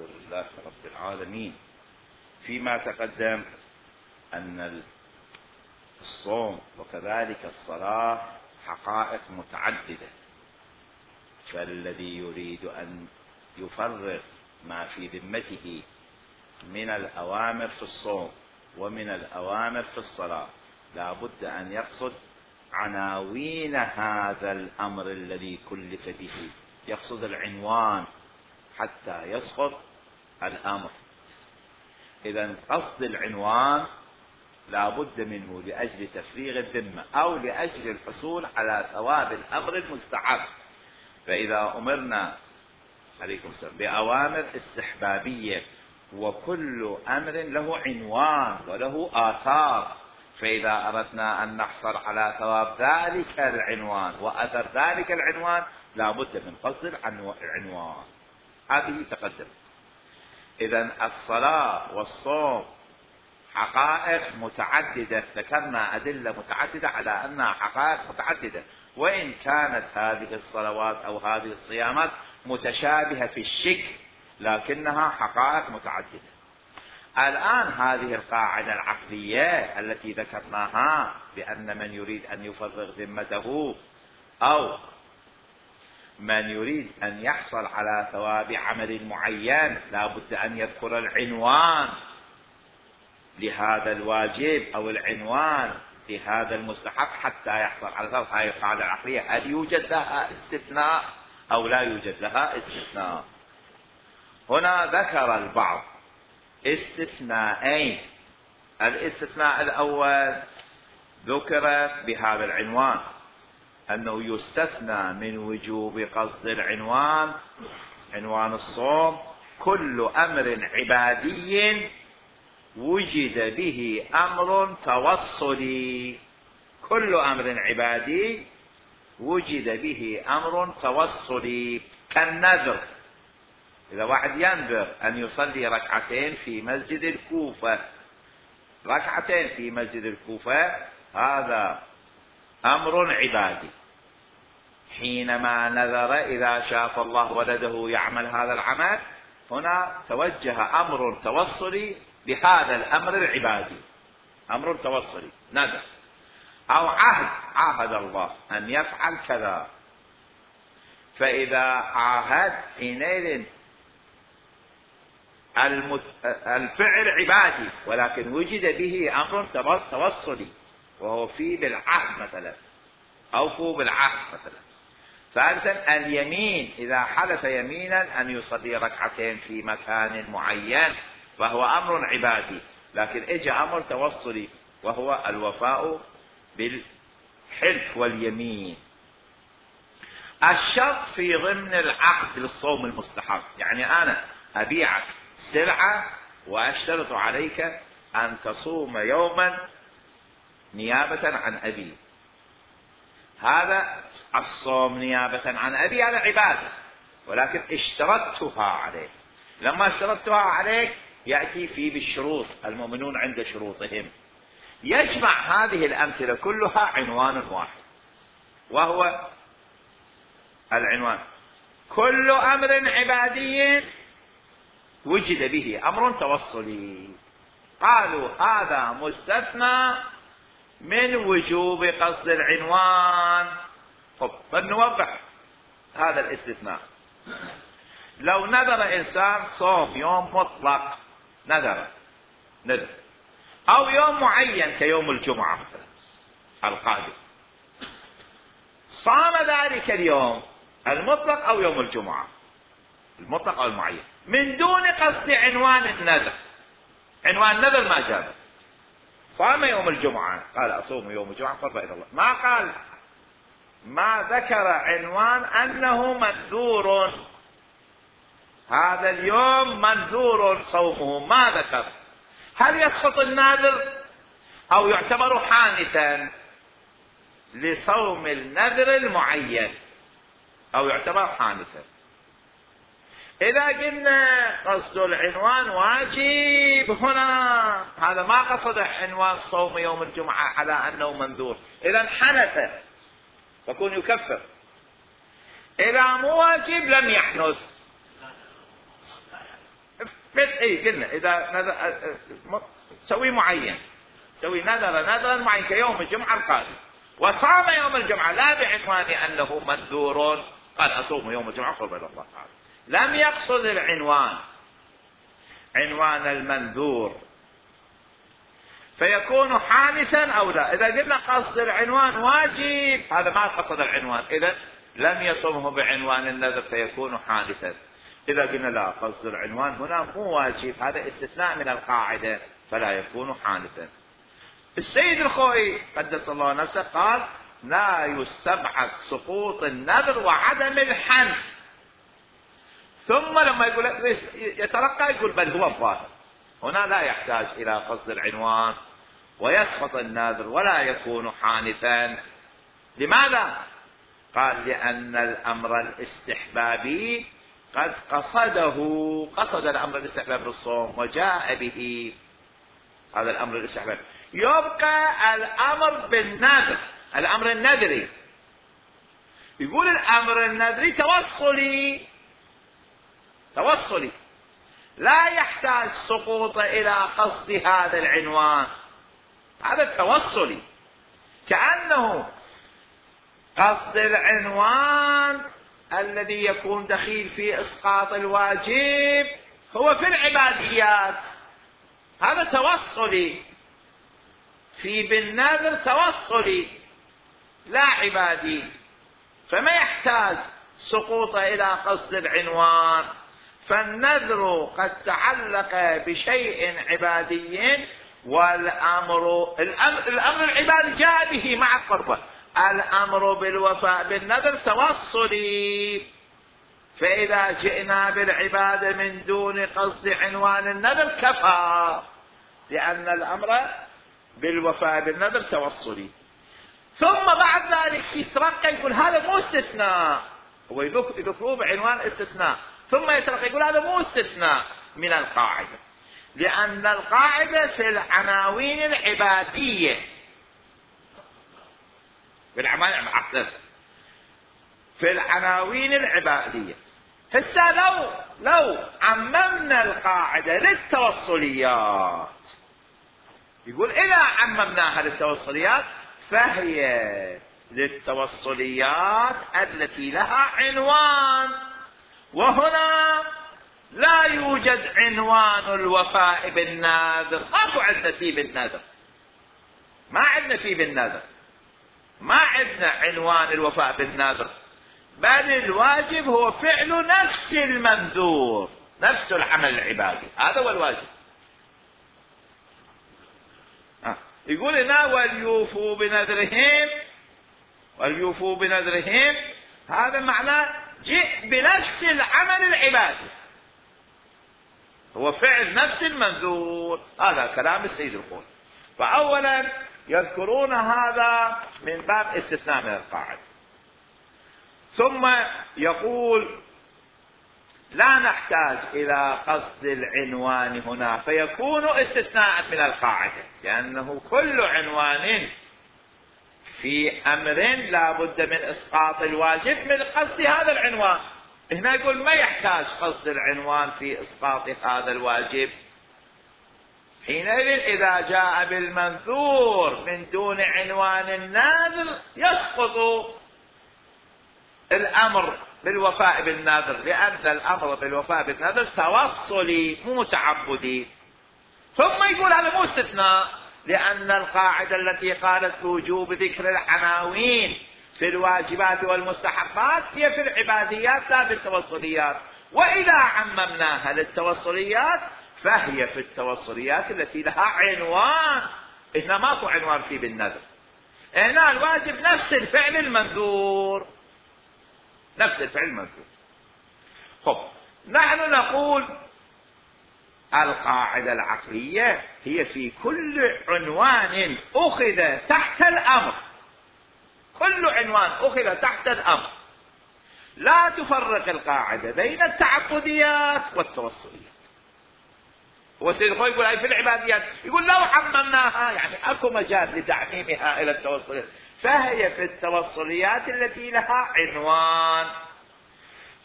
لله رب العالمين. فيما تقدم أن الصوم وكذلك الصلاة حقائق متعددة، فالذي يريد أن يفرغ ما في ذمته من الأوامر في الصوم ومن الأوامر في الصلاة لا بد أن يقصد عناوين هذا الأمر الذي كلف به، يقصد العنوان حتى يسقط الأمر. إذن قصد العنوان لا بد منه لأجل تفريغ الذمة أو لأجل الحصول على ثواب الأمر المستحب. فإذا أمرنا عليكم السلام بأوامر استحبابية وكل أمر له عنوان وله آثار، فإذا أردنا أن نحصل على ثواب ذلك العنوان وأثر ذلك العنوان لا بد من قصد العنوان. هذه تقدم. إذن الصلاة والصوم حقائق متعددة، ذكرنا أدلة متعددة على أنها حقائق متعددة، وإن كانت هذه الصلوات أو هذه الصيامات متشابهة في الشكل لكنها حقائق متعددة. الآن هذه القاعدة العقلية التي ذكرناها بأن من يريد أن يفرغ ذمته أو من يريد أن يحصل على ثواب عمل معين لا بد أن يذكر العنوان لهذا الواجب أو العنوان لهذا المستحب حتى يحصل على ثواب. هذه القاعدة العقلية هل يوجد لها استثناء أو لا يوجد لها استثناء؟ هنا ذكر البعض استثناءين. الاستثناء الأول ذكر بهذا العنوان أنه يستثنى من وجوب قصد العنوان، عنوان الصوم، كل أمر عبادي وجد به أمر توصلي. كل أمر عبادي وجد به أمر توصلي كالنذر. إذا واحد ينذر أن يصلي ركعتين في مسجد الكوفة، ركعتين في مسجد الكوفة، هذا أمر عبادي. حينما نذر إذا شاف الله ولده يعمل هذا العمل، هنا توجه أمر توصلي بهذا الأمر العبادي، أمر توصلي نذر أو عاهد الله أن يفعل كذا. فإذا عاهد حينئذ الفعل عبادي ولكن وجد به أمر توصلي وهو في بالعهد مثلا، أوفوا بالعهد مثلا. ثالثا اليمين، إذا حلف يمينا أن يصلي ركعتين في مكان معين فهو أمر عبادي لكن اجى أمر توصلي وهو الوفاء بالحلف واليمين. الشرط في ضمن العقد للصوم المستحب، يعني أنا أبيعك سلعة وأشترط عليك أن تصوم يوما نيابة عن أبي. هذا الصوم نيابة عن أبي هذا عبادة، ولكن اشترطتها عليك. لما اشترطتها عليك يأتي فيه بالشروط، المؤمنون عند شروطهم. يجمع هذه الأمثلة كلها عنوان واحد وهو العنوان كل أمر عبادي وجد به أمر توصلي. قالوا هذا مستثنى من وجوب قصد العنوان. فلنوضح هذا الاستثناء. لو نذر إنسان صوم يوم مطلق، نذر أو يوم معين كيوم الجمعة مثلا القادم، صام ذلك اليوم المطلق أو يوم الجمعة المطلق أو المعين من دون قصد عنوان النذر. عنوان النذر ما جاء، صام يوم الجمعة قال أصوم يوم الجمعة قربا إلى الله، ما قال، ما ذكر عنوان أنه منذور، هذا اليوم منذور صومه، ما ذكر. هل يسقط النذر أو يعتبر حانثا لصوم النذر المعين أو يعتبر حانثا؟ إذا قلنا قصد العنوان واجب هنا، هذا ما قصد عنوان صوم يوم الجمعة على أنه منذور، إذا حنث فكون يكفر. إذا مو واجب لم يحنث قلنا إذا سوي معين، سوي نذرا معين كيوم الجمعة القادم، وصام يوم الجمعة لا بعنوان أنه منذور، قال أصوم يوم الجمعة قربا إلى الله تعالى، لم يقصد العنوان عنوان المنذور، فيكون حادثا أو لا. إذا قلنا قصد العنوان واجب، هذا ما قصد العنوان، إذا لم يصمه بعنوان النذر فيكون حادثا. إذا قلنا لا، قصد العنوان هنا مو واجب، هذا استثناء من القاعدة، فلا يكون حادثا. السيد الخوئي قدس الله نفسه قال لا يستبعد سقوط النذر وعدم الحنث، ثم لما يقول يترقى يقول بل هو الظاهر، هنا لا يحتاج إلى قصد العنوان ويسقط النذر ولا يكون حانثا. لماذا؟ قال لأن الأمر الاستحبابي قد قصد الأمر الاستحبابي بالصوم وجاء به، هذا الأمر الاستحبابي. يبقى الأمر بالنذر، الأمر النذري، يقول الأمر النذري توصلي لا يحتاج سقوط إلى قصد هذا العنوان، هذا توصلي، كأنه قصد العنوان الذي يكون دخيل في إسقاط الواجب هو في العباديات، هذا توصلي، في بالنذر توصلي لا عبادي، فما يحتاج سقوط إلى قصد العنوان. فالنذر قد تعلق بشيء عبادي، والأمر العبادي جاء به مع القربة، الأمر بالوفاء بالنذر توصلي، فإذا جئنا بالعبادة من دون قصد عنوان النذر كفى، لأن الأمر بالوفاء بالنذر توصلي. ثم بعد ذلك يترقى يقول هذا مو استثناء، هو يذكروه بعنوان استثناء، ثم يترقى يقول هذا مو استثناء من القاعدة، لأن القاعدة في العناوين العبادية، في العناوين العبادية. هسه لو عممنا القاعدة للتوصليات، يقول إذا عممناها للتوصليات فهي للتوصليات التي لها عنوان، وهنا لا يوجد عنوان الوفاء بالنذر، ماكو عندنا فيه بالنذر، ما عندنا فيه بالنذر، ما عندنا عنوان الوفاء بالنذر، بل الواجب هو فعل نفس المنذور، نفس العمل العبادي، هذا هو الواجب. يقول هنا وليوفوا بنذرهم، هذا معناه جئ بنفس العمل العبادي، هو فعل نفس المنذور، هذا كلام السيد الخوئي. فأولا يذكرون هذا من باب استثناء من القاعدة، ثم يقول لا نحتاج إلى قصد العنوان هنا فيكون استثناء من القاعدة، لأنه كل عنوان في أمر لا بد من إسقاط الواجب من قصد هذا العنوان. هنا يقول ما يحتاج قصد العنوان في إسقاط هذا الواجب، حينئذ إذا جاء بالمنذور من دون عنوان النذر يسقط الأمر بالوفاء بالنذر، لأن الأمر بالوفاء بالنذر توصلي مو تعبدي. ثم يقول هذا مو استثناء، لأن القاعدة التي قالت بوجوب ذكر العناوين في الواجبات والمستحبات هي في العباديات لا في التوصليات، وإذا عممناها للتوصليات فهي في التوصليات التي لها عنوان، هنا ماكو عنوان فيه بالنذر، هنا الواجب نفس الفعل المنذور، نفس الفعل المنذور. خب نحن نقول القاعدة العقلية هي في كل عنوان أخذ تحت الأمر، كل عنوان أخذ تحت الأمر لا تفرق القاعدة بين التعبديات والتوصليات. والسيد الخوئي يقول أي في العباديات، يقول لو عممناها يعني أكو مجال لتعميمها إلى التوصليات، فهي في التوصليات التي لها عنوان.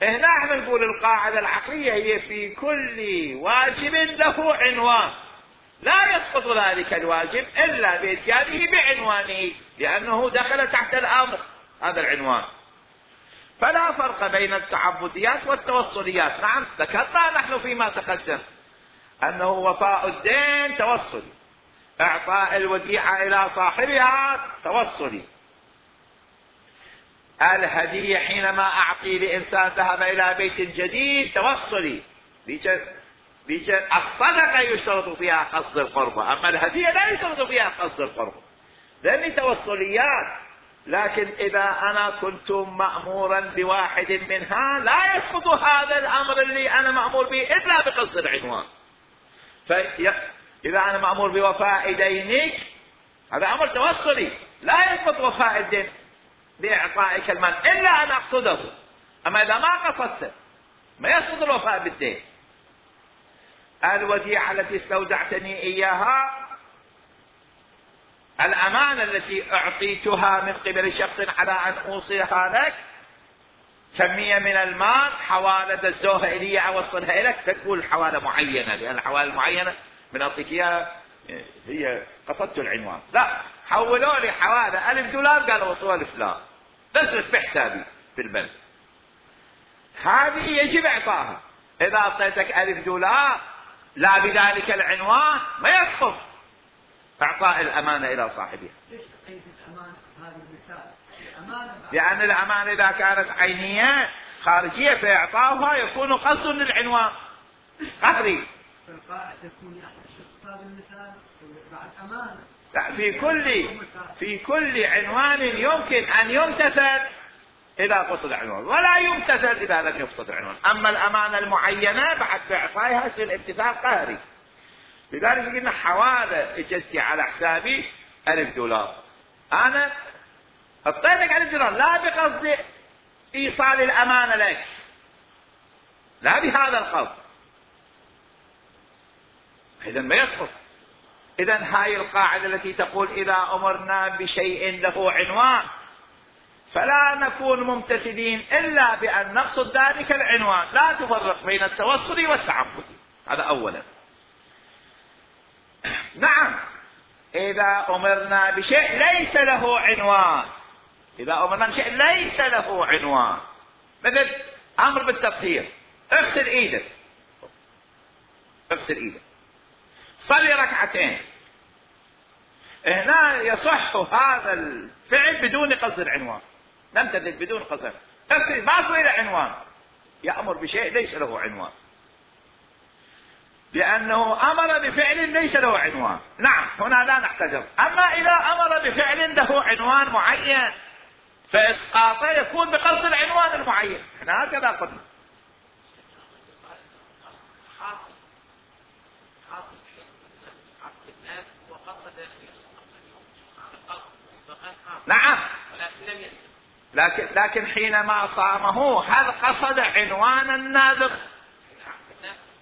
هنا احنا نقول القاعدة العقلية هي في كل واجب له عنوان، لا يسقط ذلك الواجب إلا بإتيانه بعنوانه، لأنه دخل تحت الأمر هذا العنوان. فلا فرق بين التعبديات والتوصليات. نعم ذكرنا نحن فيما تقدم أنه وفاء الدين توصلي، إعطاء الوديعة إلى صاحبها توصلي، الهدية حينما أعطي لإنسان ذهب إلى بيت جديد توصلي. الصدقة يشترط فيها قصد القربة، أما الهدية لا يشترط فيها قصد القربة، لأني توصليات. لكن إذا أنا كنت مأمورا بواحد منها لا يسقط هذا الأمر اللي أنا مأمور به إلا بقصد العنوان. فإذا أنا مأمور بوفاء دينك هذا أمر توصلي، لا يسقط وفاء الدين بإعطائك المال إلا أن أقصده. أما إذا ما قصدت ما يسقط الوفاء بالدين. الوديعة التي استودعتني إياها، الأمانة التي أعطيتها من قبل شخص على أن أوصلها لك، كمية من المال، حوالة الزوها إلي أوصلها إليك، تقول حوالة معينة، لأن الحوالة المعينة من أعطيك إياها هي قصدت العنوان. لا، حولوا لي حوالة $1000 قالوا وصلوا لفلان، بس بحسابي في البنك، هذه يجب إعطاها. إذا أعطيتك $1000 لا بذلك العنوان ما يسقط إعطاء الأمانة إلى صاحبها. ليش تقيد الأمانة هذا المثال؟ الأمانة لأن الأمانة إذا كانت عينية خارجية فإعطاؤها يكون قصد للعنوان قهري. فالقاعدة تكون استقصاد المثال بعد أمانة. لا، في كل عنوان يمكن أن يمتثل إذا قصد العنوان، ولا يمتثل إذا لم يقصد العنوان. أما الأمانة المعينة بعد بإعطائها يصير امتثال قهري. لذلك قلنا حوالة اجتي على حسابي $1000، أنا أعطيتك $1000 لا بقصد إيصال الأمانة لك، لا بهذا القصد، إذا ما يسقط. إذا هاي القاعدة التي تقول إذا أمرنا بشيء له عنوان فلا نكون ممتثلين إلا بأن نقصد ذلك العنوان، لا تفرق بين التوصل والتعبد. هذا أولا. نعم إذا أمرنا بشيء ليس له عنوان، إذا أمرنا بشيء ليس له عنوان، مثل أمر بالتطهير، اغسل إيدك، اغسل إيدك، صلي ركعتين، هنا يصح هذا الفعل بدون قصد العنوان، نمتثل بدون قصد، اغسل ما له عنوان، يأمر بشيء ليس له عنوان، لأنه أمر بفعل ليس له عنوان. نعم هنا لا نحتجر. أما إذا أمر بفعل له عنوان معين فإسقاطه يكون بقصد العنوان المعين، احنا هكذا قلنا. نعم لكن حينما صامه هل قصد عنوان النذر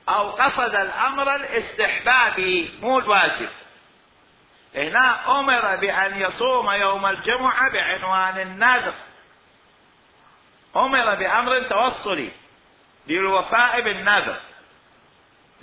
أو قصد الأمر الاستحبابي مو الواجب؟ هنا أمر بأن يصوم يوم الجمعة بعنوان النذر، أمر بأمر توصلي للوفاء بالنذر.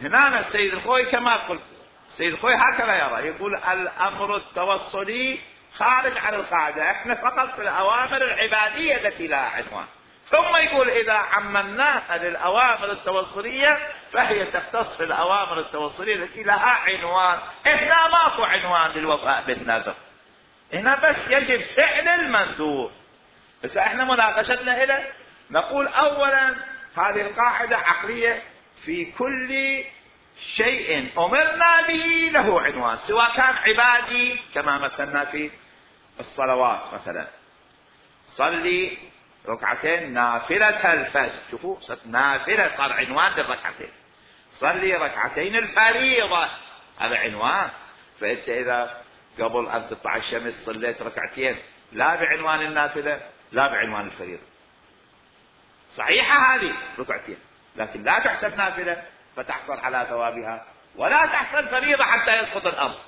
هنا السيد الخوي كما قلت، السيد الخوي هكذا يرى، يقول الأمر التوصلي خارج عن القاعدة، احنا فقط في الأوامر العبادية التي لها عنوان. ثم يقول إذا عممناها للأوامر التوصلية فهي تختص في الأوامر التوصلية التي لها عنوان. إحنا ماكو عنوان للوفاء بالنذر، هنا بس يجب فعل المندوب. بس احنا مناقشتنا إلى نقول أولا هذه القاعدة عقلية، في كل شيء أمرنا به له عنوان، سواء كان عبادي كما مثلنا في الصلوات، مثلا صلي ركعتين نافلة الفجر، شوفوا نافلة صار عنوان للركعتين، صلي ركعتين الفريضة هذا عنوان. فأنت إذا قبل أن تطلع الشمس صليت ركعتين لا بعنوان النافلة لا بعنوان الفريضة، صحيحة هذه ركعتين لكن لا تحسب نافلة فتحصل على ثوابها، ولا تحصل فريضة حتى يسقط الأمر،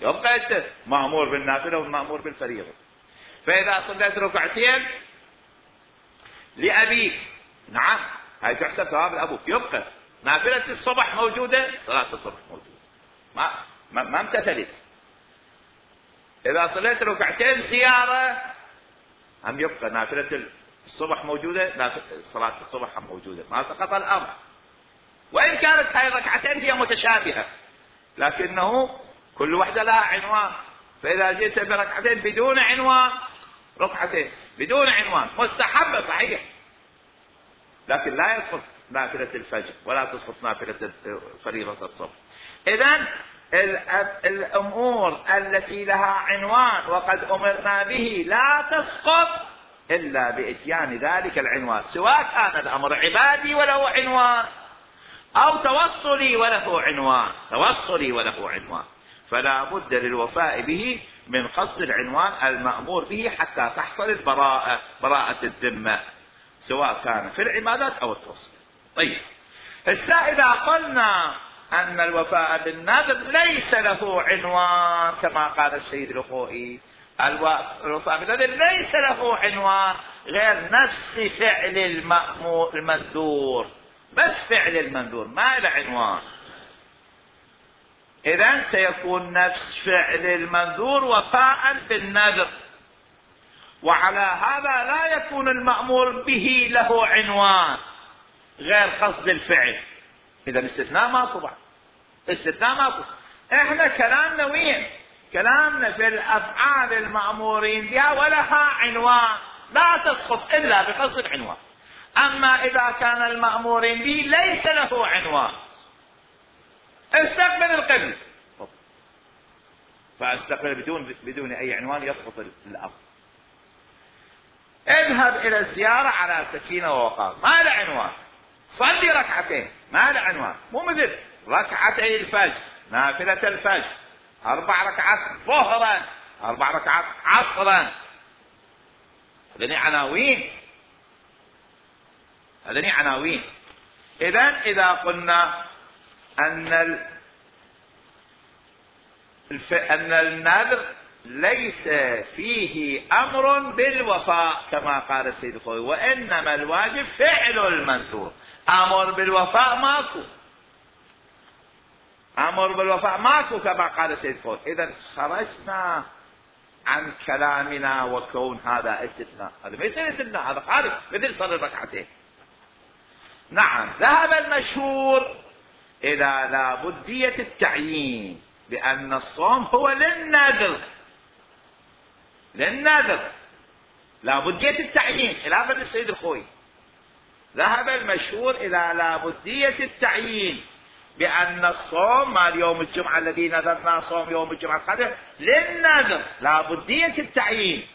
يبقى أنت مأمور بالنافلة ومأمور بالفريضة. فإذا صليت ركعتين لأبيك نعم هاي تحسب ثواب الأبوك. يبقى نافلة الصبح موجودة، صلاة الصبح موجودة، ما امتثلت. إذا صليت ركعتين زيارة هم يبقى نافلة الصبح موجودة، صلاة الصبح هم موجودة، ما سقط الأمر. وإن كانت هاي الركعتين هي متشابهة لكنه كل واحدة لها عنوان. فإذا جئت بركعتين بدون عنوان، ركعتين بدون عنوان مستحبة صحيح، لكن لا يسقط نافلة الفجر ولا تسقط نافلة فريضة الصبح. إذن الأمور التي لها عنوان وقد أمرنا به لا تسقط إلا بإتيان ذلك العنوان، سواء كان الأمر عبادي وله عنوان أو توصلي وله عنوان، فلا بد للوفاء به من قصد العنوان المأمور به حتى تحصل براءة الذمة، سواء كان في العبادات أو التوصل. طيب إذا قلنا أن الوفاء بالنذر ليس له عنوان كما قال السيد الخوئي، الوفاء بالنذر ليس له عنوان غير نفس فعل المنذور، بس فعل المنذور ما له عنوان، إذن سيكون نفس فعل المنذور وفاء بالنذر. وعلى هذا لا يكون المأمور به له عنوان غير قصد الفعل. إذا استثناء ماكو بعد، استثناء ماكو. احنا كلامنا وين؟ كلامنا في الأفعال المأمورين بها ولها عنوان لا تسقط إلا بقصد العنوان. أما إذا كان المأمورين به ليس له عنوان، استقبل القبلة، فاستقبل بدون أي عنوان يسقط الأمر. اذهب إلى الزيارة على سكينة ووقار، ما له عنوان. صلي ركعتين، ما له عنوان، مو مثل ركعتي الفجر، نافلة الفجر، 4 ركعات ظهرا، 4 ركعات عصرا، هذني عناوين. إذا قلنا أن النذر ليس فيه أمر بالوفاء كما قال السيد الخوئي، وإنما الواجب فعل المنذور، أمر بالوفاء ماكو كما قال السيد الخوئي. إذا خرجنا عن كلامنا وكون هذا استثناء، هذا ما يصير استثناء، هذا خارج مثل صلي الركعتين. نعم ذهب المشهور إلى لابدية التعيين، لأن الصوم هو للنذر لابدية التعيين خلافا للسيد الخوئي. ذهب المشهور إلى لابدية التعيين بأن الصوم مال يوم الجمعة الذي نذرنا صوم يوم الجمعة القادم للنذر لابدية التعيين.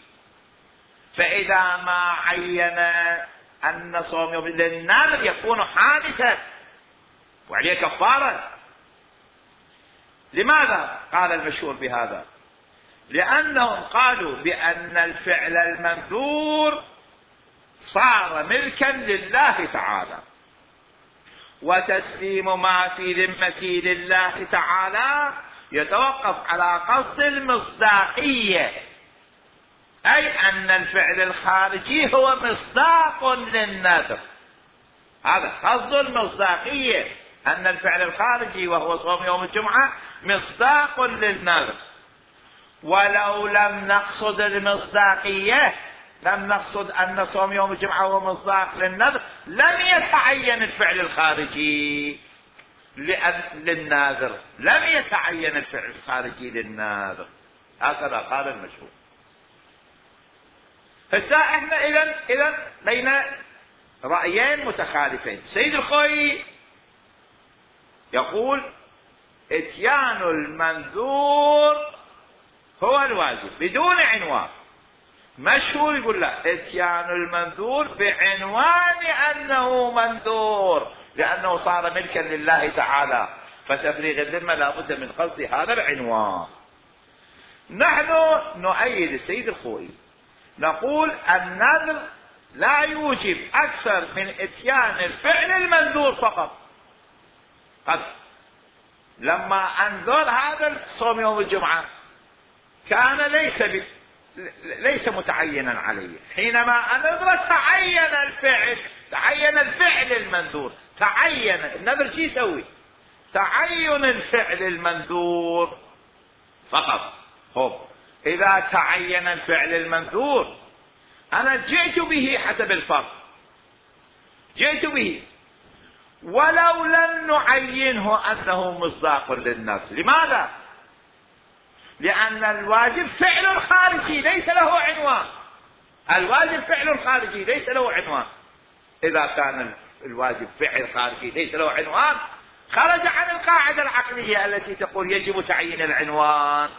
فإذا ما عين أن صوم يوم للنذر يكون حادثا وعليه كفارة. لماذا قال المشهور بهذا؟ لأنهم قالوا بأن الفعل المنذور صار ملكا لله تعالى، وتسليم ما في ذمته لله تعالى يتوقف على قصد المصداقية، أي أن الفعل الخارجي هو مصداق للنذر. هذا قصد المصداقية، أن الفعل الخارجي وهو صوم يوم الجمعة مصداق للنذر. ولو لم نقصد المصداقية، لم نقصد أن صوم يوم الجمعة هو مصداق للنذر، لم يتعين الفعل الخارجي للناذر، لم يتعين الفعل الخارجي للناذر. هكذا قال المشهور. احنا إذن بين رأيين متخالفين. سيد الخوئي يقول اتيان المنذور هو الواجب بدون عنوان. مشهور يقول لا، اتيان المنذور بعنوان أنه منذور، لأنه صار ملكا لله تعالى، فتفريغ الذمة لابد من قصد هذا العنوان. نحن نؤيد السيد الخوئي، نقول النذر لا يوجب أكثر من اتيان الفعل المنذور فقط. لما أنذر هذا الصوم يوم الجمعة كان ليس متعينا عليه، حينما أنذر تعين الفعل تعين الفعل المنذور. تعين النذر شي يسوي؟ تعين الفعل المنذور فقط. خب إذا تعين الفعل المنذور أنا جئت به حسب الفرض، جئت به ولو لم نعينه أنه مصداق للنذر. لماذا؟ لأن الواجب فعل خارجي ليس له عنوان. الواجب فعل خارجي ليس له عنوان. إذا كان الواجب فعل خارجي ليس له عنوان خرج عن القاعدة العقلية التي تقول يجب تعيين العنوان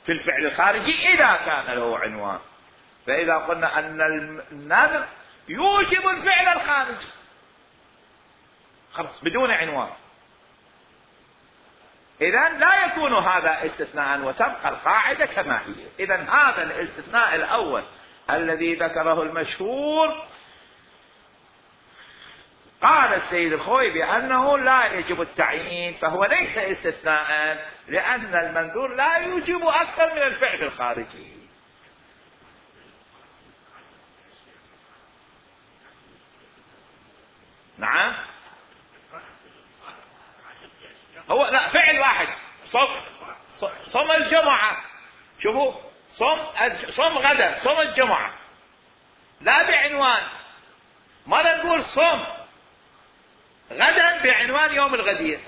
في الفعل الخارجي إذا كان له عنوان. فإذا قلنا أن النذر يوجب الفعل الخارجي خلاص بدون عنوان، إذن لا يكون هذا استثناء وتبقى القاعدة كما هي. إذن هذا الاستثناء الأول الذي ذكره المشهور قال السيد الخوئي بأنه لا يجب التعيين، فهو ليس استثناء لأن المنذور لا يوجب أكثر من الفعل الخارجي. نعم هو لا فعل واحد. صم الجمعة، شوفوا صم غدا، صم الجمعة لا بعنوان. ما نقول صم غدا بعنوان يوم الغدير،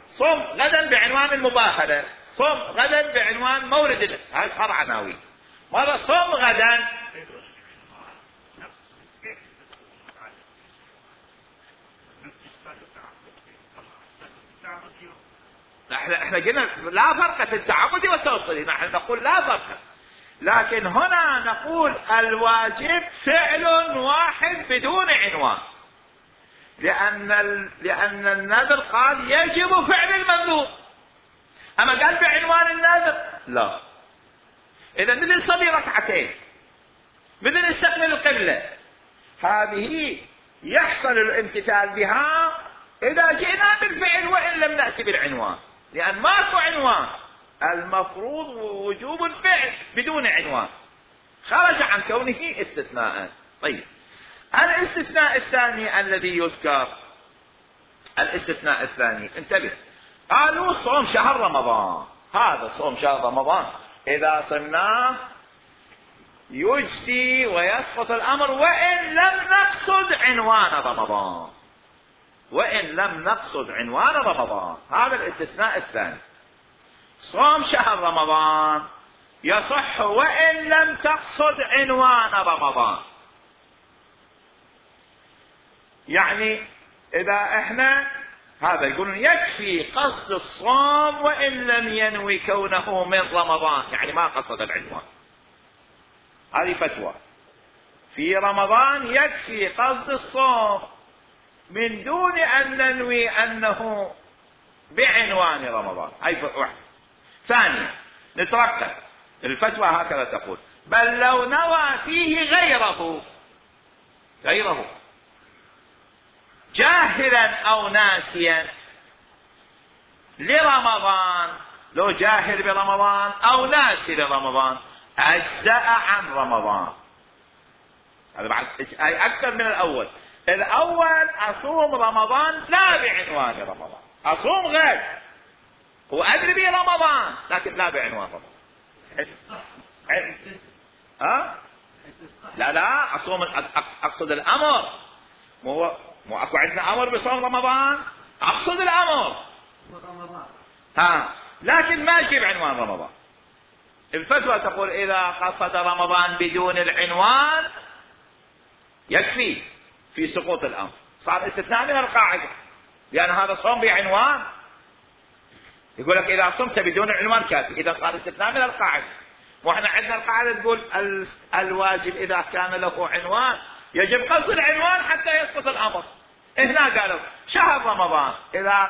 صم غدا بعنوان المباهلة، صم غدا بعنوان مولد، هاي صار عناوين. ماذا صم غدا احنا قلنا لا فرق في التعبد والتوصيل، نحن نقول لا فرق، لكن هنا نقول الواجب فعل واحد بدون عنوان، لأن النذر قال يجب فعل المنذور، أما قال بعنوان النذر لا. إذا مثل نصلي ركعتين، مثل نستقبل القبلة، هذه يحصل الامتثال بها إذا جئنا بالفعل وإن لم نأتي بالعنوان، لأن ماكو عنوان، المفروض وجوب الفعل بدون عنوان، خرج عن كونه استثناء. طيب الاستثناء الثاني الذي يذكر، الاستثناء الثاني انتبه، قالوا صوم شهر رمضان. هذا صوم شهر رمضان إذا صمناه يجزي ويسقط الأمر وإن لم نقصد عنوان رمضان، وإن لم نقصد عنوان رمضان. هذا الاستثناء الثاني، صوم شهر رمضان يصح وإن لم تقصد عنوان رمضان. يعني إذا احنا هذا يقولون يكفي قصد الصوم وإن لم ينوي كونه من رمضان، يعني ما قصد العنوان. هذه فتوى في رمضان يكفي قصد الصوم من دون أن ننوي أنه بعنوان رمضان. هاي واحد. ثانيا نتركب الفتوى هكذا تقول بل لو نوى فيه غيره جاهلا أو ناسيا لرمضان، لو جاهل برمضان أو ناسي لرمضان أجزأ عن رمضان. هذا بعد أي أكثر من الأول. الأول أصوم رمضان لا بعنوان رمضان، أصوم غير وأدري به رمضان لكن لا بعنوان رمضان. لا أصوم، أقصد الأمر، مو أكو عندنا أمر بصوم رمضان، أقصد الأمر لكن ما يجيب عنوان رمضان. الفتوى تقول إذا قصد رمضان بدون العنوان يكفي في سقوط الأمر، صار استثناء من القاعدة، لأن هذا صوم بعنوان. يقول لك إذا صمت بدون العنوان كافي، إذا صار استثناء من القاعدة. وإحنا عندنا القاعدة تقول الواجب إذا كان له عنوان يجب قصد العنوان حتى يسقط الأمر. هنا قالوا شهر رمضان إذا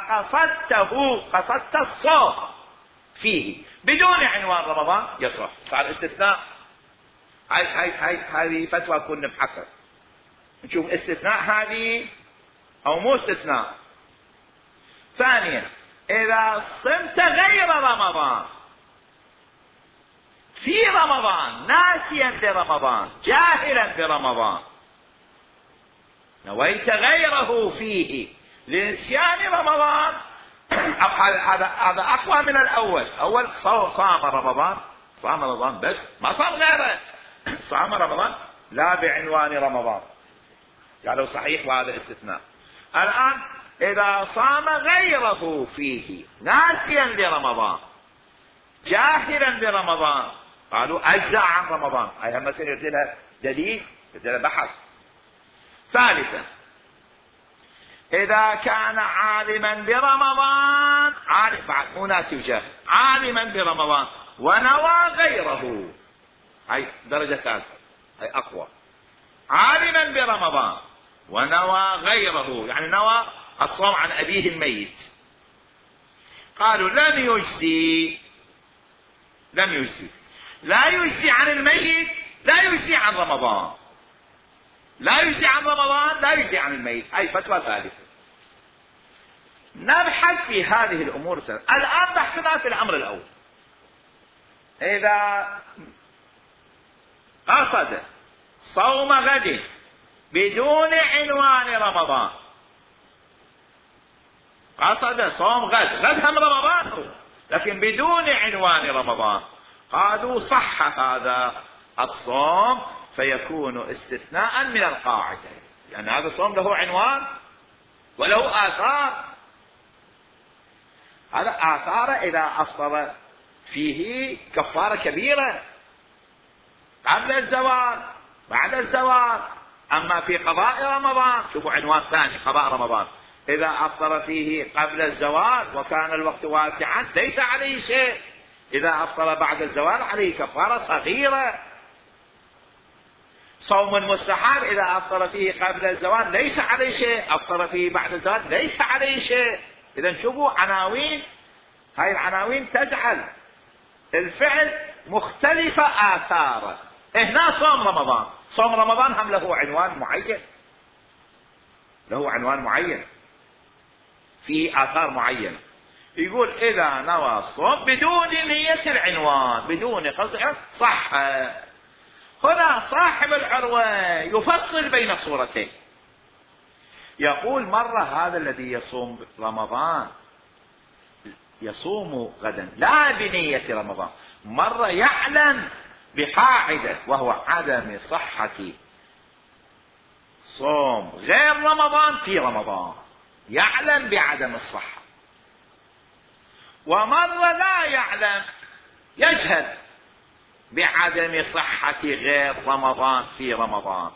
قصدت الصوم فيه بدون عنوان رمضان يصح، صار استثناء. هذه فتوى كنا نبحثها نشوف استثناء هذه أو مو استثناء. ثانيا إذا صمت غير رمضان في رمضان ناسيا لرمضان جاهلا برمضان، نويت غيره فيه لنسيان رمضان، هذا أقوى من الأول. أول صام رمضان بس ما صام غيره، صام رمضان لا بعنوان رمضان، قالوا صحيح وهذا استثناء. الآن إذا صام غيره فيه ناسيا لرمضان جاهلا برمضان، قالوا أجزاء عن رمضان. هاي مثلا يرسلها دليل، يرسلها بحث. ثالثا إذا كان عالما برمضان، عالم بعد مو ناسي وجاهل، عالما برمضان ونوى غيره، هاي درجة ثالثة، هاي أقوى. عالما برمضان ونوى غيره، يعني نوى الصوم عن أبيه الميت، قالوا لم يجزي لا يجزي عن الميت، لا يجزي عن رمضان، لا يجزي عن رمضان، لا يجزي عن الميت. هاي فتوى ثالثة. نبحث في هذه الأمور الثلاثة. الآن بحثنا في الأمر الأول. إذا قصد صوم غد بدون عنوان رمضان، قصد صوم غد هم رمضان لكن بدون عنوان رمضان، قالوا صح هذا الصوم فيكون استثناء من القاعدة، يعني هذا الصوم له عنوان وله آثار. هذا آثار إذا أفطر فيه كفارة كبيرة قبل الزوال بعد الزوال. أما في قضاء رمضان شوفوا عنوان ثاني، قضاء رمضان، إذا أفطر فيه قبل الزوال وكان الوقت واسعا ليس عليه شيء، إذا أفطر بعد الزوال عليه كفارة صغيرة. صوم المستحب إذا أفطر فيه قبل الزوال ليس عليه شيء، أفطر فيه بعد الزوال ليس عليه شيء. إذا شوفوا عناوين، هاي العناوين تجعل الفعل مختلفة آثاره. هنا صوم رمضان هم له عنوان معين، له عنوان معين في آثار معينة. يقول إذا نوى الصوم بدون نية العنوان، بدون قصد، صح. هنا صاحب العروة يفصل بين صورتين، يقول مرة هذا الذي يصوم رمضان يصوم غدا لا بنية رمضان، مرة يعلم بقاعدة وهو عدم صحة صوم غير رمضان في رمضان، يعلم بعدم الصحة. ومرة لا يعلم، يجهل بعدم صحة غير رمضان في رمضان.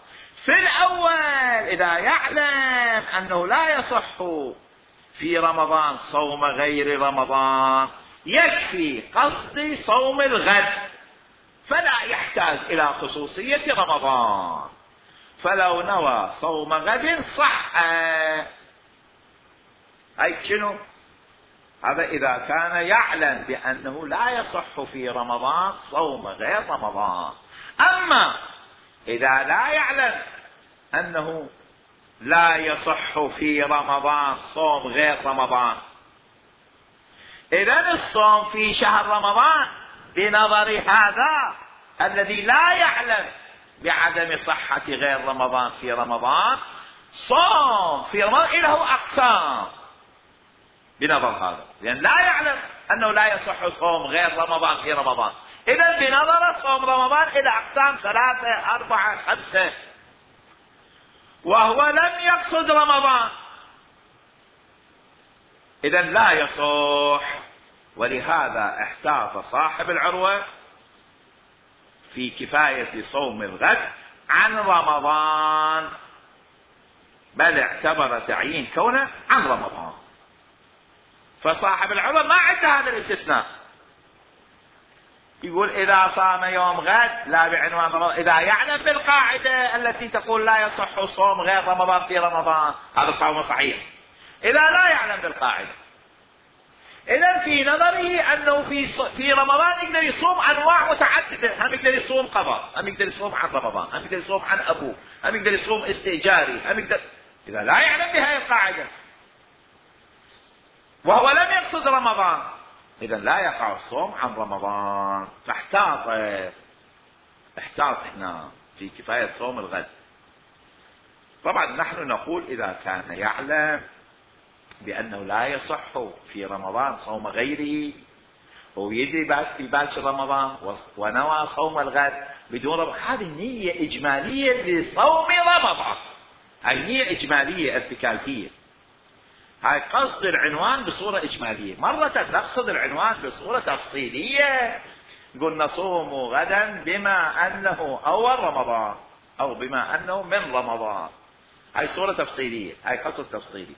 في الأول إذا يعلم أنه لا يصح في رمضان صوم غير رمضان يكفي قصد صوم الغد، فلا يحتاج إلى خصوصية رمضان، فلو نوى صوم غد صح. أي شنو هذا؟ إذا كان يعلم بأنه لا يصح في رمضان صوم غير رمضان. أما إذا لا يعلم أنه لا يصح في رمضان صوم غير رمضان، إذن الصوم في شهر رمضان بنظر هذا الذي لا يعلم بعدم صحة غير رمضان في رمضان، صوم في رمضان له أقسام بنظر هذا، لأن لا يعلم أنه لا يصح صوم غير رمضان في رمضان. إذن بنظر صوم رمضان إلى أقسام 3 4 5، وهو لم يقصد رمضان، إذن لا يصح. ولهذا احتاط صاحب العروة في كفاية صوم الغد عن رمضان، بل اعتبر تعيين كونه عن رمضان. فصاحب العروة ما عنده هذا الاستثناء، يقول إذا صام يوم غد لا بعنوان رمضان، إذا يعلم بالقاعدة التي تقول لا يصح صوم غير رمضان في رمضان هذا صوم صحيح. إذا لا يعلم بالقاعدة، إذن في نظره أنه في رمضان يقدر يصوم أنواع متعددة، هم يقدر يصوم قضاء، هم يقدر يصوم عن رمضان، هم يقدر يصوم عن أبوه، هم يقدر يصوم استئجاري، هم يقدر. إذا لا يعلم بهذه القاعدة وهو لم يقصد رمضان، إذن لا يقع الصوم عن رمضان. فاحتاط هنا في كفاية صوم الغد. طبعا نحن نقول إذا كان يعلم بأنه لا يصح في رمضان صوم غيره ويدري في باكر رمضان ونوى صوم الغد بدون رمضان، هذه نية إجمالية لصوم رمضان، هاي نية إجمالية ارتكازية، هاي قصد العنوان بصورة إجمالية. مرة نقصد العنوان بصورة تفصيلية، قلنا صوموا غدا بما أنه أول رمضان أو بما أنه من رمضان، هاي صورة تفصيلية، هاي قصد تفصيلي.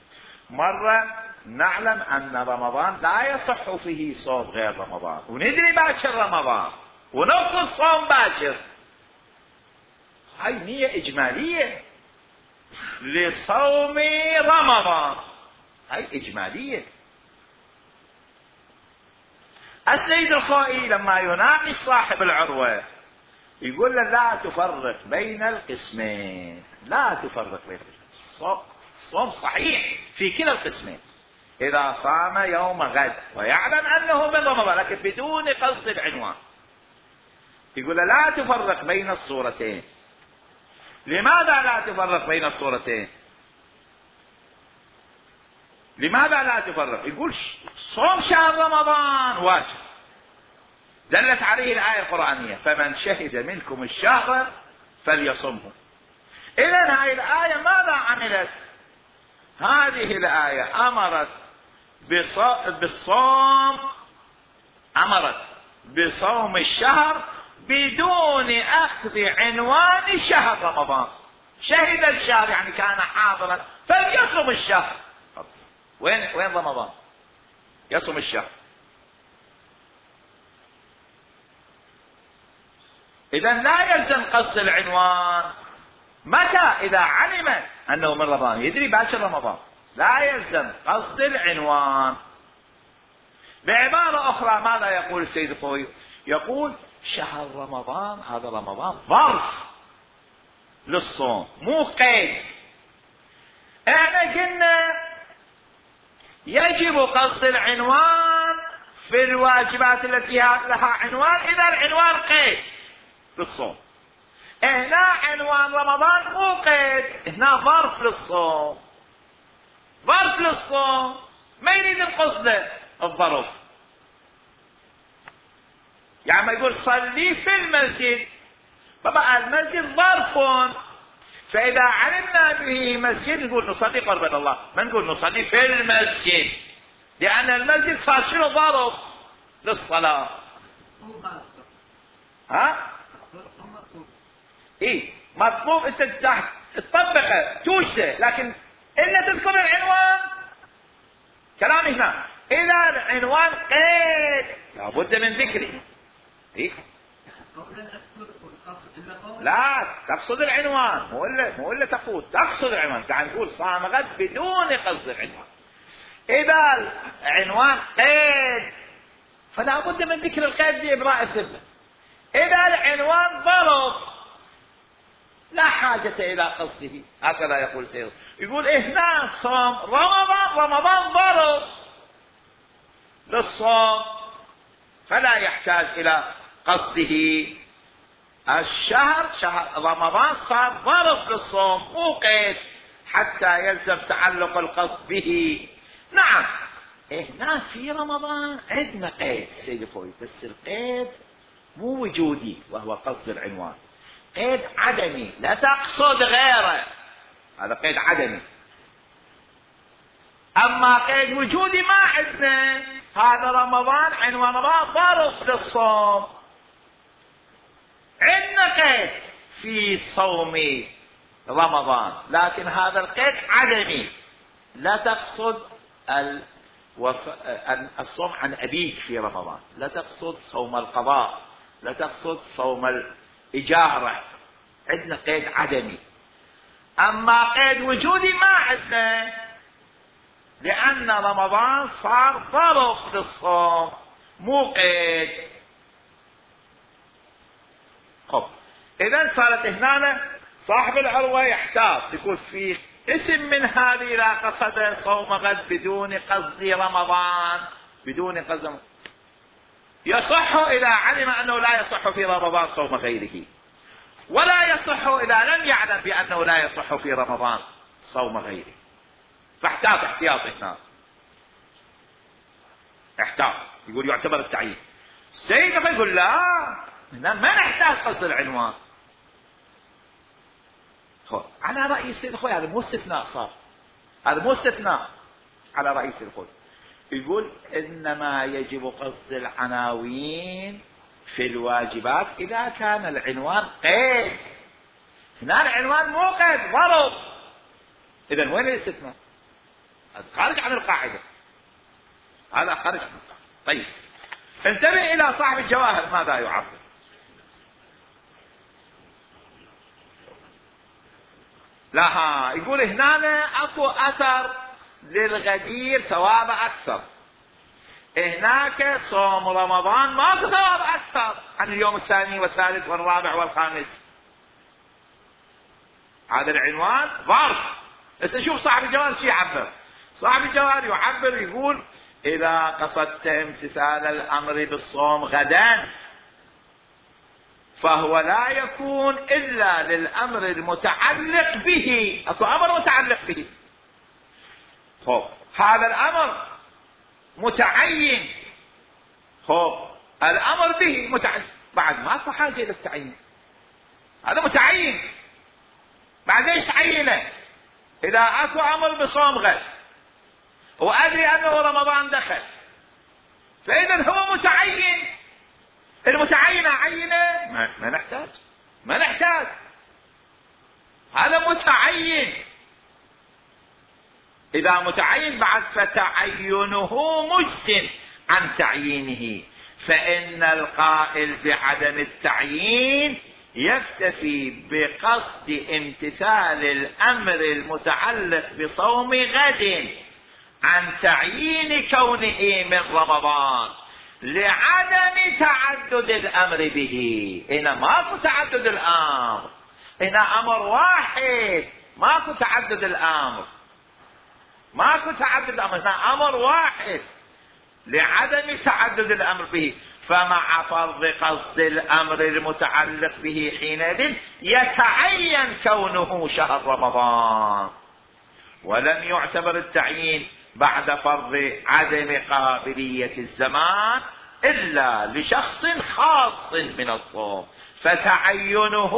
مرة نعلم أن رمضان لا يصح فيه صوم غير رمضان وندري باكر رمضان ونقصد صوم باكر، هاي نية إجمالية لصوم رمضان، هاي إجمالية. السيد الخوئي لما يناقش صاحب العروة يقول له لا تفرق بين القسمين، لا تفرق بين القسمين، صوم صحيح في كلا القسمين. إذا صام يوم غد ويعلم أنه من رمضان لكن بدون قصد العنوان، يقول له لا تفرق بين الصورتين. لماذا لا تفرق بين الصورتين؟ لماذا لا تفرق؟ يقول صوم شهر رمضان واجب، دلت عليه الآية القرآنية فمن شهد منكم الشهر فليصمه. إذن هذه الآية ماذا عملت؟ هذه الآية أمرت بالصوم، أمرت بصوم الشهر بدون أخذ عنوان شهر رمضان. شهد الشهر يعني كان حاضرا فليصم الشهر. وين رمضان؟ يصم الشهر. إذن لا يلزم قصد العنوان. متى؟ إذا علم أنه من رمضان، يدري باكر رمضان، لا يلزم قصد العنوان. بعبارة أخرى ماذا يقول السيد الخوئي؟ يقول شهر رمضان، هذا رمضان ظرف للصوم مو قيد. احنا قلنا يجب قصد العنوان في الواجبات التي لها عنوان إذا العنوان قيد للصوم. هنا عنوان رمضان مو قيد، هنا ظرف للصوم، ظرف للصوم، ما يريد القصد الظرف. يعني ما يقول صلي في المسجد، فبقى المسجد ظرف، فإذا علمنا به مسجد نقول نصلي قربان الله، ما نقول نصلي في المسجد، لأن المسجد صار شنو؟ ظرف للصلاة. ها؟ ايه مطلوب انت تطبقه توجده، لكن الا تذكر العنوان. كلامي هنا اذا العنوان قيد لابد من ذكره. إيه؟ لا تقصد العنوان، مو الا تقصد العنوان. تعال نقول صام غد بدون قصد العنوان. اذا العنوان قيد فلا بد من ذكر القيد لإبراء الذمة. اذا العنوان ظرف لا حاجة إلى قصده، هكذا يقول سيد. يقول هنا صوم رمضان ظرف للصوم فلا يحتاج إلى قصده. الشهر شهر رمضان صار ظرف للصوم مو قيد حتى يلزم تعلق القصد به. نعم هنا في رمضان عندنا قيد سيد الخوئي، بس القيد مو وجودي وهو قصد العنوان، قيد عدمي لا تقصد غيره، هذا قيد عدمي. اما قيد وجودي ما عندنا. هذا رمضان عنوان رمضان ظرف للصوم، عندنا قيد في صوم رمضان لكن هذا القيد عدمي، لا تقصد الصوم عن أبيك في رمضان، لا تقصد صوم القضاء، لا تقصد صوم الإجارة، عندنا قيد عدمي. أما قيد وجودي ما عندنا، لأن رمضان صار ظرف للصوم مو قيد. خب إذن صارت هنا صاحب العروة يحتاط، يقول في اسم من هذه لا قصد صوم غد بدون قصد رمضان، بدون قصد يصح إذا علم أنه لا يصح في رمضان صوم غيره. ولا يصح إذا لم يعلم بأنه لا يصح في رمضان صوم غيره، فاحتاط احتياط هنا، احتاط. يقول يعتبر التعيين. السيد يقول لا، ما نحتاج قصد العنوان. على رأي السيد الخوي هذا مو استثناء، صار هذا مو استثناء على رأي السيد الخوي. يقول إنما يجب قصد العناوين في الواجبات إذا كان العنوان قيد. هنا العنوان مو قيد، ضرب. إذن وين الاستثناء؟ هذا خارج عن القاعدة، هذا خارج عن القاعدة. طيب انتبه إلى صاحب الجواهر ماذا يعبر. لا، يقول هنا اكو اثر للغدير ثواب اكثر، هناك صوم رمضان ماكو ثواب اكثر عن اليوم الثاني والثالث والرابع والخامس. هذا العنوان ظرف. بس نشوف صاحب الجوهر شو يعبر. صاحب الجوهر يعبر يقول اذا قصدت امتثال الامر بالصوم غدا فهو لا يكون إلا للأمر المتعلق به. أكو أمر متعلق به، هذا الأمر متعين، الأمر به متعين، بعد ما في حاجة إلى التعيين. هذا متعين، بعد ليش تعينه؟ إذا أكو أمر بصوم غد وأدري أنه رمضان دخل، فإذا هو متعين. المتعين عينه ما نحتاج، هذا متعين. إذا متعين بعد فتعينه مجزٍ عن تعيينه، فإن القائل بعدم التعيين يكتفي بقصد امتثال الأمر المتعلق بصوم غد عن تعيين كونه من رمضان لعدم تعدد الأمر به. هنا ماكو تعدد الأمر، هنا أمر واحد، ماكو تعدد الأمر، ماكو تعدد الأمر، هنا أمر واحد لعدم تعدد الأمر به. فمع فرض قصد الأمر المتعلق به حينئذ يتعين كونه شهر رمضان، ولم يعتبر التعيين بعد فرض عدم قابلية الزمان إلا لشخص خاص من الصوم، فتعينه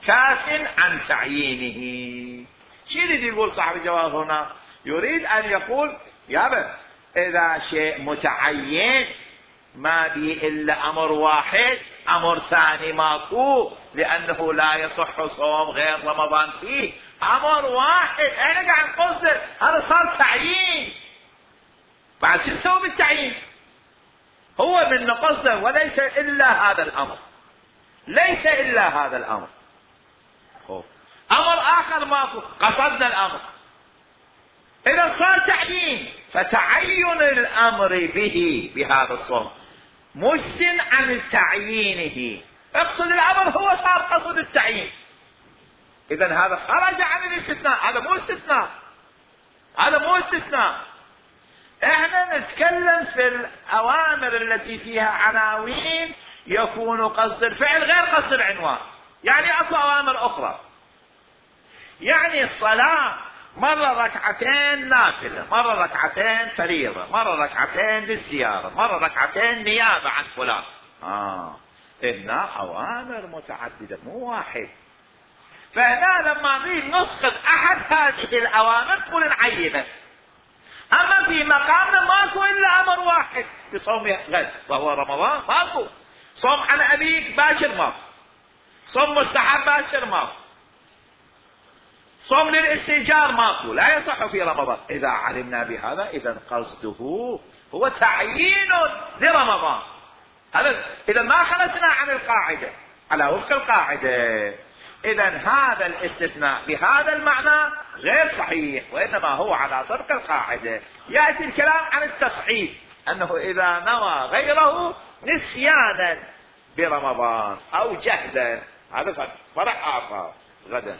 كاف عن تعيينه. شو يريد يقول صاحب الجواب هنا؟ يريد أن يقول يا بس إذا شيء متعين ما به إلا أمر واحد، أمر ثاني ماكو، لأنه لا يصح صوم غير رمضان فيه، أمر واحد احنا قاعد نقصد، هذا صار تعيين. بعد شو نسوي بالتعيين؟ هو من نقصده وليس إلا هذا الأمر، ليس إلا هذا الأمر. أمر آخر ماكو، قصدنا الأمر، إذا صار تعيين فتعين الأمر به بهذا الصوم مجزٍ عن تعيينه. اقصد الأمر هو صار قصد التعيين، إذن هذا خرج عن الاستثناء، هذا مو استثناء، هذا مو استثناء. احنا نتكلم في الأوامر التي فيها عناوين يكون قصد الفعل غير قصد العنوان. يعني اكو أوامر أخرى، يعني الصلاة مرة ركعتين نافلة، مرة ركعتين فريضة، مرة ركعتين للزيارة، مرة ركعتين نيابة عن فلان. هنا أوامر متعددة مو واحد. فهنا لما نريد نسقط أحد هذه الأوامر تقول نعينه. أما في مقامنا ماكو إلا أمر واحد بصوم غد وهو رمضان، ماكو. صوم عن أبيك باشر ماكو، صوم مستحب باشر ماكو، صوم للاستئجار ماكو، لا يصح في رمضان. إذا علمنا بهذا إذا قصده هو تعيين لرمضان. هذا إذا ما خرجنا عن القاعدة على وفق القاعدة. إذا هذا الاستثناء بهذا المعنى غير صحيح، وإنما هو على طبق القاعدة. يأتي الكلام عن التصحيح، أنه إذا نوى غيره نسيانا برمضان أو جهدا، هذا فرح آخر غدا.